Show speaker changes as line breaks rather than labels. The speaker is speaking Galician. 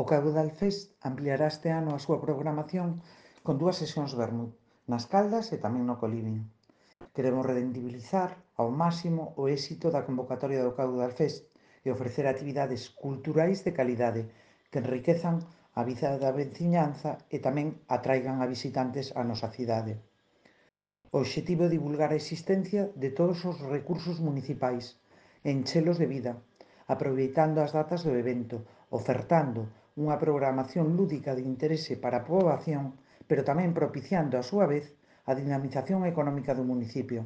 O Caudal Fest ampliará este ano a súa programación con 2 sesións vermut, nas Caldas e tamén no Colibio. Queremos rendibilizar ao máximo o éxito da convocatoria do Caudal Fest e ofrecer actividades culturais de calidade que enriquezan a vida da veciñanza e tamén atraigan a visitantes á nosa cidade. O obxectivo é divulgar a existencia de todos os recursos municipais e enchelos de vida, aproveitando as datas do evento, ofertando unha programación lúdica de interese para a poboación, pero tamén propiciando, a súa vez, a dinamización económica do municipio.